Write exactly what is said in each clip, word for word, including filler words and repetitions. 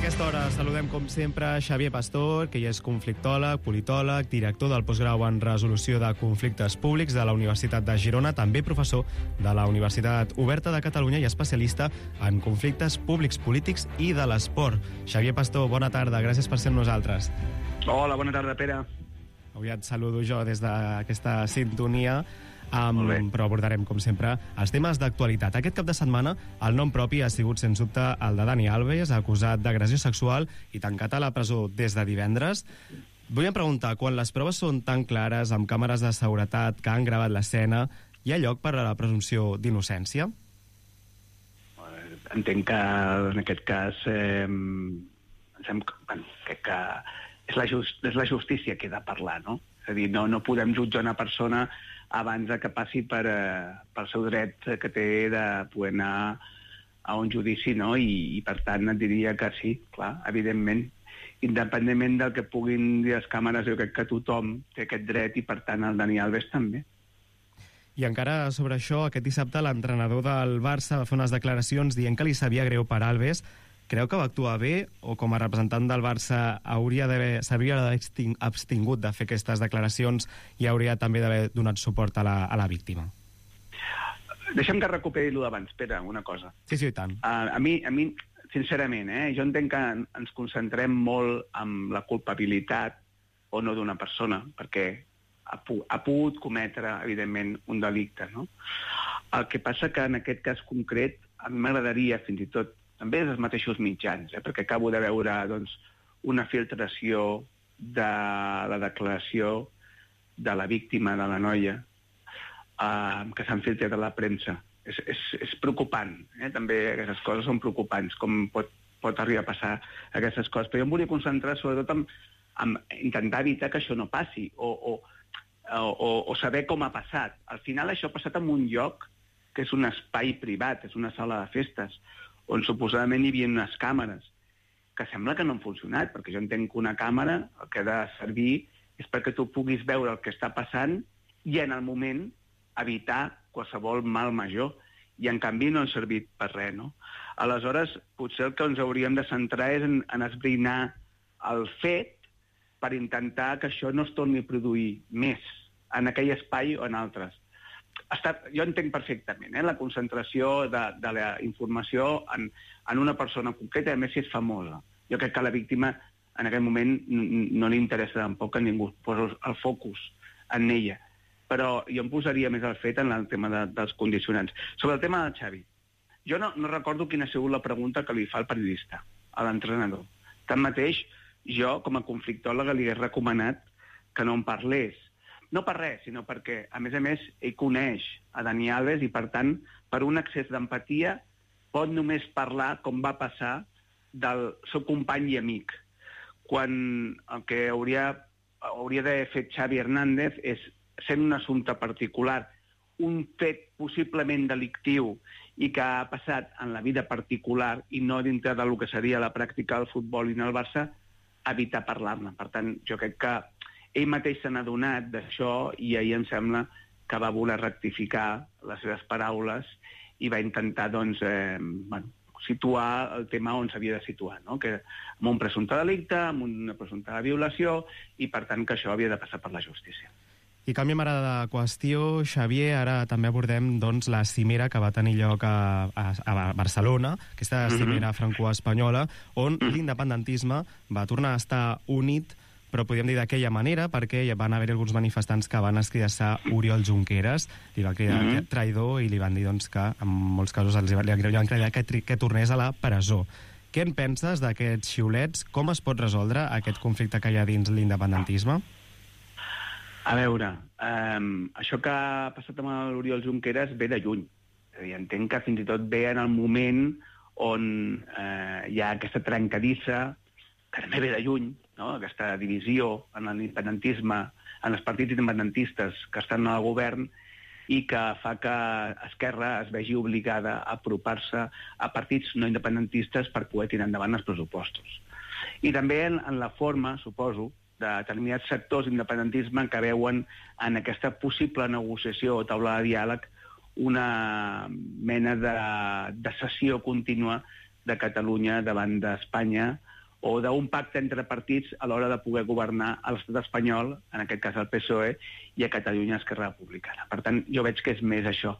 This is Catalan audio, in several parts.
aquesta hora saludem, com sempre, Xavier Pastor, que ja és conflictòleg, politòleg, director del postgrau en resolució de conflictes públics de la Universitat de Girona, també professor de la Universitat Oberta de Catalunya i especialista en conflictes públics, polítics i de l'esport. Xavier Pastor, bona tarda, gràcies per ser amb nosaltres. Hola, bona tarda, Pere. Avui et saludo jo des d'aquesta sintonia, Um, però abordarem, com sempre, els temes d'actualitat. Aquest cap de setmana el nom propi ha sigut, sens dubte, el de Dani Alves, acusat d'agressió sexual i tancat a la presó des de divendres. Vull preguntar, quan les proves són tan clares, amb càmeres de seguretat que han gravat l'escena, hi ha lloc per a la presumpció d'innocència? Entenc que, en aquest cas, eh, pensem que, bueno, crec que és la, just, és la justícia que ha de parlar, no? És a dir, no, no podem jutjar una persona abans que passi per, eh, pel seu dret que té de poder anar a un judici, no? I, i per tant et diria que sí, clar, evidentment. Independentment del que puguin dir les càmeres, jo crec que tothom té aquest dret i per tant el Dani Alves també. I encara sobre això, aquest dissabte l'entrenador del Barça va fer unes declaracions dient que li sabia greu per Alves. Creu que va actuar bé o com a representant del Barça hauria d'haver s'hauria d'haver abstingut de fer aquestes declaracions i hauria també d'haver donat suport a la, a la víctima? Deixa'm que recuperi allò d'abans, Pere, una cosa. Sí, sí, i tant. Uh, a, mi, a mi, sincerament, eh, jo entenc que ens concentrem molt en la culpabilitat o no d'una persona, perquè ha, pu ha pogut cometre, evidentment, un delicte, no? El que passa que en aquest cas concret a mi m'agradaria, fins i tot, també dels mateixos mitjans, eh, perquè acabo de veure doncs, una filtració de la declaració de la víctima, de la noia, eh, que s'han filtrat a la premsa. És, és, és preocupant, eh? També aquestes coses són preocupants, com pot, pot arribar a passar aquestes coses. Però jo em volia concentrar sobretot en, en intentar evitar que això no passi, o, o, o, o saber com ha passat. Al final això ha passat en un lloc que és un espai privat, és una sala de festes, on suposadament hi havia unes càmeres, que sembla que no han funcionat, perquè jo entenc que una càmera el que ha de servir és perquè tu puguis veure el que està passant i en el moment evitar qualsevol mal major. I en canvi no han servit per res, no? Aleshores, potser el que ens hauríem de centrar és en, en esbrinar el fet per intentar que això no es torni a produir més en aquell espai o en altres. Està, jo entenc perfectament eh, la concentració de, de la informació en, en una persona concreta, a més si és famosa. Jo crec que a la víctima en aquest moment no li interessa tampoc que ningú posi el focus en ella. Però jo em posaria més al fet en el tema de, dels condicionants. Sobre el tema del Xavi, jo no, no recordo quina ha sigut la pregunta que li fa el periodista a l'entrenador. Tanmateix, jo com a conflictòleg li he recomanat que no en parlés. No per res, sinó perquè, a més a més, ell coneix a Dani Alves i, per tant, per un excés d'empatia, pot només parlar com va passar del seu company i amic. Quan el que hauria, hauria d'haver fet Xavi Hernández és, sent un assumpte particular, un fet possiblement delictiu i que ha passat en la vida particular i no dintre del que seria la pràctica del futbol i en el Barça, evitar parlar-ne. Per tant, jo crec que ell mateix se n'ha adonat d'això i ahir em sembla que va voler rectificar les seves paraules i va intentar doncs, eh, bueno, situar el tema on s'havia de situar, no? Que amb un presumpte delicte, amb una presumpta violació i per tant que això havia de passar per la justícia. I canviem ara de qüestió, Xavier, ara també abordem doncs, la cimera que va tenir lloc a, a, a Barcelona, aquesta cimera mm-hmm. franco-espanyola, on mm. l'independentisme va tornar a estar unit, però podríem dir d'aquella manera, perquè hi van haver alguns manifestants que van escridassar Oriol Junqueras, li van cridar mm-hmm. traïdor i li van dir doncs, que en molts casos els li van cridar que, que tornés a la presó. Què en penses d'aquests xiulets? Com es pot resoldre aquest conflicte que hi ha dins l'independentisme? A veure, eh, això que ha passat amb l'Oriol Junqueras ve de lluny. És a dir, entenc que fins i tot ve en el moment on eh, hi ha aquesta trencadissa, que també ve de lluny, no? Aquesta divisió en l'independentisme, en els partits independentistes que estan al govern i que fa que Esquerra es vegi obligada a apropar-se a partits no independentistes per poder tirar endavant els pressupostos. I també en, en la forma, suposo, de determinats sectors d'independentisme que veuen en aquesta possible negociació o taula de diàleg una mena de, de sessió contínua de Catalunya davant d'Espanya, o d'un pacte entre partits a l'hora de poder governar a l'estat espanyol, en aquest cas el P S O E, i a Catalunya Esquerra Republicana. Per tant, jo veig que és més això.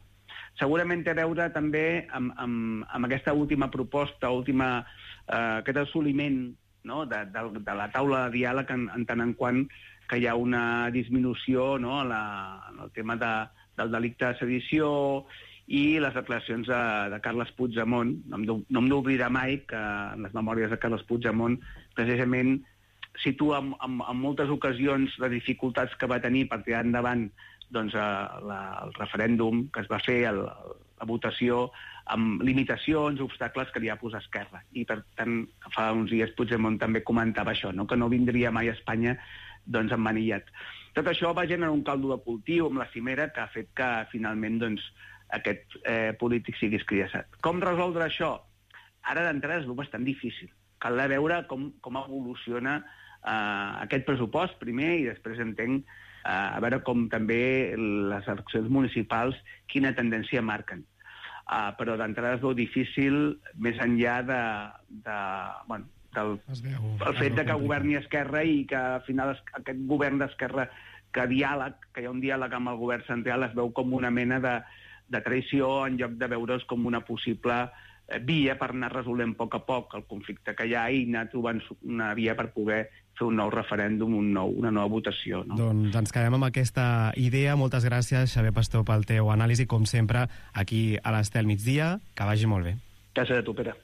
Segurament té a veure també amb, amb, amb aquesta última proposta, última, eh, aquest assoliment, no?, de, de, de la taula de diàleg en, en tant en quant que hi ha una disminució, no?, a la, en el tema de, del delicte de sedició i les declaracions de, de Carles Puigdemont. No em, no em d'oblidar mai que en les memòries de Carles Puigdemont precisament situa en, en, en moltes ocasions les dificultats que va tenir per tirar endavant doncs, la, el referèndum que es va fer, el, la votació, amb limitacions, obstacles que li ha posat Esquerra. I, per tant, fa uns dies Puigdemont també comentava això, no?, que no vindria mai a Espanya doncs, emmanillat. Tot això va generar un caldo de cultiu amb la cimera que ha fet que, finalment, doncs, aquest eh, polític sigui escridassat. Com resoldre això? Ara d'entrada és bastant difícil. Cal veure com, com evoluciona eh, aquest pressupost primer i després entenc eh, a veure com també les eleccions municipals quina tendència marquen. Uh, però d'entrada és molt difícil, més enllà de, de, bueno, del veu, el fet de que governi Esquerra i que al final aquest govern d'Esquerra, que diàleg, que hi ha un diàleg amb el govern central, es veu com una mena de, de traïció en lloc de veure's com una possible via per anar resolent a poc a poc el conflicte que hi ha i anar trobant una via per poder fer un nou referèndum, un nou, una nova votació. No? Doncs ens quedem amb aquesta idea. Moltes gràcies, Xavier Pastor, pel teu anàlisi, com sempre, aquí a l'Estel Migdia. Que vagi molt bé. Gràcies a tu, Pere.